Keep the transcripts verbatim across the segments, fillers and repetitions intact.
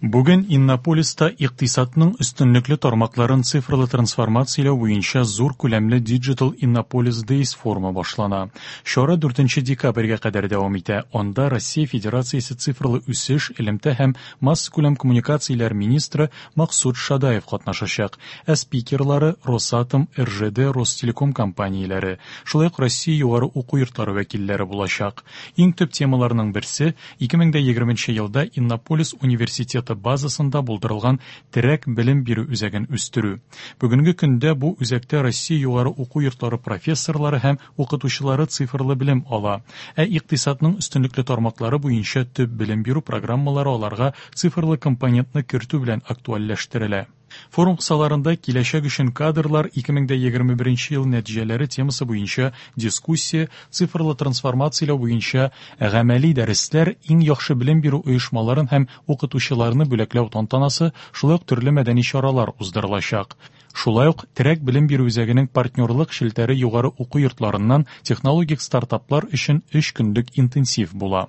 Бүген Иннополиста икътисадның өстенлекле тармакларын цифрлы трансформацияләү буенча зур күләмле Digital Innopolis Days форумы башлана. Чара дүртенче декабрьгә кадәр дәвам итә. Анда Россия Федерациясе цифрлы үсеш, элемтә һәм массакүләм коммуникацияләр министры Максут Шадаев катнашачак. Ә спикерлары Росатом, Р Ж Д, Ростелеком компанияләре, шулай ук Россия югары уку йортлары вәкилләре булачак. Иң төп темаларның берсе ике мең егерменче елда Иннополис университеты базасында булдырылган терәк белем бирү үзәген үстерү. Бүгенге көндә бу үзәктә Россия югары уку йортлары профессорлары һәм укытучылары цифрлы белем ала. Ә икътисадның өстенлекле тармаклары буенча төп белем бирү программалары аларга цифрлы компонентны кертү белән актуальләштерелә. Форум кысаларында «Киләчәк өчен кадрлар: ике мең егерме беренче ел нәтиҗәләре» темасы буенча дискуссия, цифрлы трансформацияләү буенча гамәли дәресләр, иң яхшы белем бирү оешмаларын һәм укытучыларны бүләкләү тантанасы, шулай ук төрле мәдәни чаралар уздырылачак. Шулай ук терәк белем бирү үзәгенең партнерлык челтәре югары уку йортларыннан технологик стартаплар өчен өч көнлек интенсив була.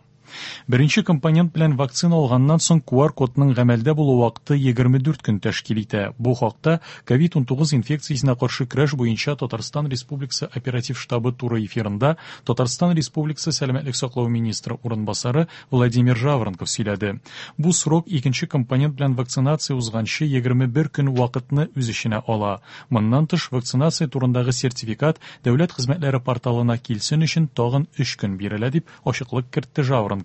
Беренче компонент белән вакцина алганнан соң Q R кодның гамәлдә булу вакыты егерме дүрт көн тәшкил итә. Бу хакта COVID унтугыз инфекциясенә каршы көрәш буенча Татарстан Республикасы оператив штабы туры эфирында Татарстан Республикасы сәламәтлек саклау министры урынбасары Владимир Жаворонков сөйләде. Бу срок икенче компонент белән вакцинация узганчы егерме бер көн вакытны үз эченә ала. Моннан тыш, вакцинация турындагы сертификат дәүләт хезмәтләре порталына килсен өчен тагын өч көн бирелә, дип ачыклык кертте Жаворонков.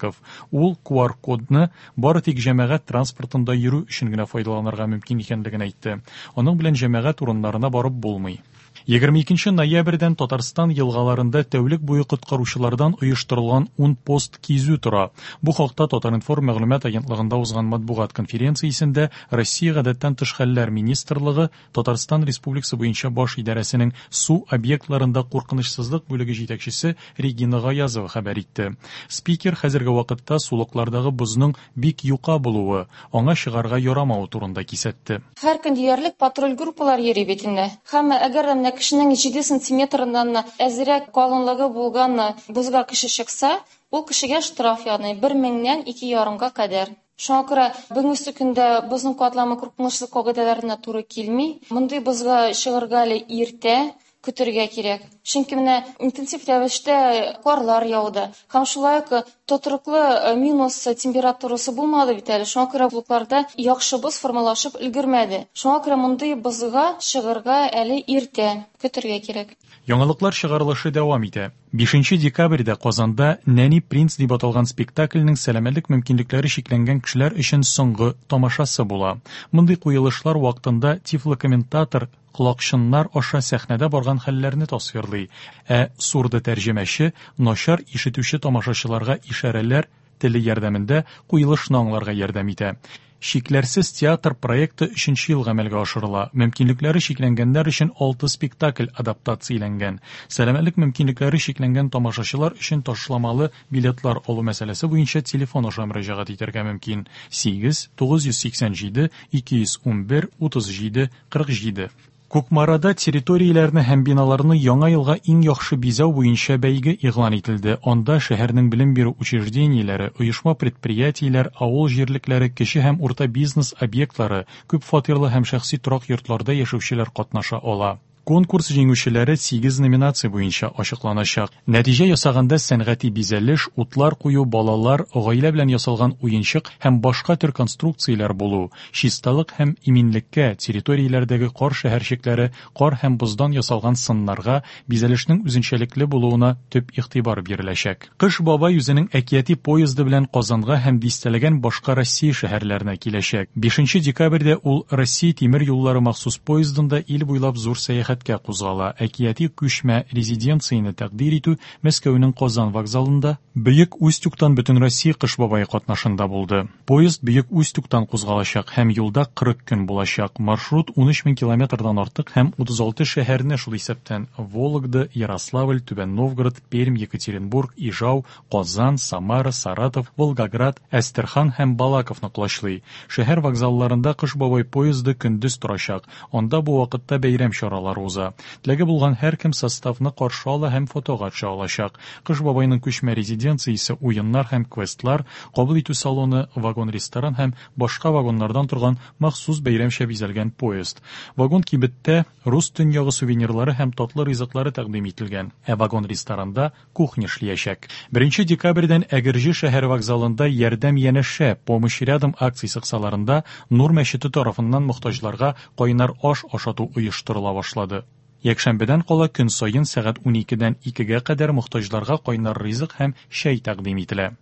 Ул Q R кодны бары тик җәмәгать транспортында йөрү өчен генә файдаланырга мөмкин икәнлеген әйтте. Аның белән җәмәгать урыннарына барып булмый. егерме икенче ноябрьдән Татарстан елгаларында тәүлек буе коткаручылардан оештырылган ун пост кизү тора. Бу хакта Татар-информ мәгълүмат агентлыгында узган матбугат конференциясендә Россия Гадәттән тыш хәлләр министрлыгы Татарстан Республикасы буенча баш идарәсенең су объектларында куркынычсызлык бүлеге җитәкчесе Регина Гаязова хәбәр итте. Спикер хәзерге вакытта сулыклардагы бозның бик юка булуы, аңа чыгарга ярамавы турында кисәтте. Һәр көн диярлек патруль группалар йөри бит инде. Һәм әгәр менә кешенең җиде сантиметрдан әзрәк калынлыгы булган бозга кеше чыкса, ул кешегә штраф яный бер меңнән ике ярымга кадәр. Шуңа күрә бүгенге көндә бозның катламы куркынычсызлык кагыйдәләренә туры килми. Мондый бозга чыгарга әле иртә, көтәргә кирәк. Чөнки менә интенсив рәвештә карлар яуды. Һәм шулай ук тотрыклы минус температурасы булмады бит әле. Шуңа күрә сулыкларда яхшы боз формалашып өлгермәде. Шуңа күрә мондый бозга чыгарга әле иртә, көтәргә кирәк. Яңалыклар чыгарылышы дәвам итә. бишенче декабрьдә Казанда «Нәни принц» дип аталган спектакльнең сәламәтлек мөмкинлекләре чикләнгән кешеләр өчен соңгы тамашасы була. Мондый куелышлар вакытында тифлокомментатор колакчыннар аша сәхнәдә барган хәлләрне тасвирлый, ә сурдотәрҗемәче начар ишетүче тамашачыларга ишарәләр теле ярдәмендә куелышны аңларга ярдәм итә. «Чикләрсез театр» проекты өченче ел гамәлгә ашырыла. Мөмкинлекләре чикләнгәннәр өчен алты спектакль адаптацияләнгән. Сәламәтлек мөмкинлекләре чикләнгән тамашачылар өчен ташламалы билетлар алу мәсьәләсе буенча телефон аша мөрәҗәгать итәргә мөмкин: сигез тугыз йөз сиксән җиде ике йөз унбер утыз җиде кырык җиде. Кукмарада территорияләрне һәм биналарны яңа елга иң яхшы бизәү буенча бәйге игълан ителде. Анда шәһәрнең белем бирү учреждениеләре, оешма-предприятиеләр, авыл җирлекләре, кече һәм урта бизнес объектлары, күп фатирлы һәм шәхси торак йортларда яшәүчеләр катнаша ала. Конкурс җиңүчеләре сигез номинация буенча ачыкланачак. Нәтиҗә ясаганда сәнгати бизәлеш, утлар кую, балалар, гаилә белән ясалган уенчык һәм башка төр конструкцияләр булу, чисталык һәм иминлеккә, территорияләрдәге кар шәһәрчекләре, кар һәм боздан ясалган сыннарга, бизәлешнең үзенчәлекле булуына төп игътибар биреләчәк. Кыш бабай үзенең әкияти поезды белән Казанга һәм дистәләгән башка Россия шәһәрләренә киләчәк. бишенче декабрьдә ул Россия тимер юллары махсус поездында ил буйлап зур сәяхәткә кузгала. Әкияти күчмә резиденцияне тәкъдир итү Мәскәүнең Казан вокзалында Бөек Устюгтан Бөтенроссия Кыш бабае катнашында булды. Поезд Бөек Устюгтан кузгалачак һәм юлда кырык көн булачак. Маршрут унөч мең километрдан артык һәм утыз алты шәһәрне, шул исәптән Вологда, Ярославль, Түбән Новгород, Пермь, Екатеринбург, Ижау, Казан, Самара, Саратов, Волгоград, Әстерхан һәм Балаковны колачлый. Шәһәр вокзалларында Кыш бабай поезды көндез торачак. Анда бу вакытта бәйрәм чаралары уза. Теләге булган һәркем составны каршы ала һәм фотога төшә алачак. Кыш бабайның күчмә резиденциясе уеннар һәм квестлар, кабул итү салоны, вагон-ресторан һәм башка вагоннардан торган махсус бәйрәмчә бизәлгән поезд. Вагон-кибеттә рус төньягы сувенирлары һәм татлы ризыклары тәкъдим ителгән, ә вагон-ресторанда кухня эшләячәк. Беренче декабрьдән Әгерҗе шәһәр вокзалында «Ярдәм янәшә», «Помощь рядом» акциясе кысаларында Нур мәчете тарафыннан мохтаҗларга кайнар аш ашату оештырыла башлады. Якшәмбедән кала көн саен сәгать уникедән икегә кадәр мохтаҗларга кайнар ризык һәм чәй тәкъдим ителә.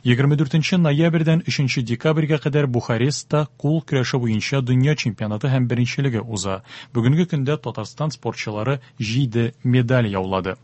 Егерме дүртенче ноябрьдән өченче декабрьгә кадәр Бухарестта кул көрәше буенча дөнья чемпионаты һәм беренчелеге уза. Бүгенге көндә Татарстан спортчылары җиде медаль яулады.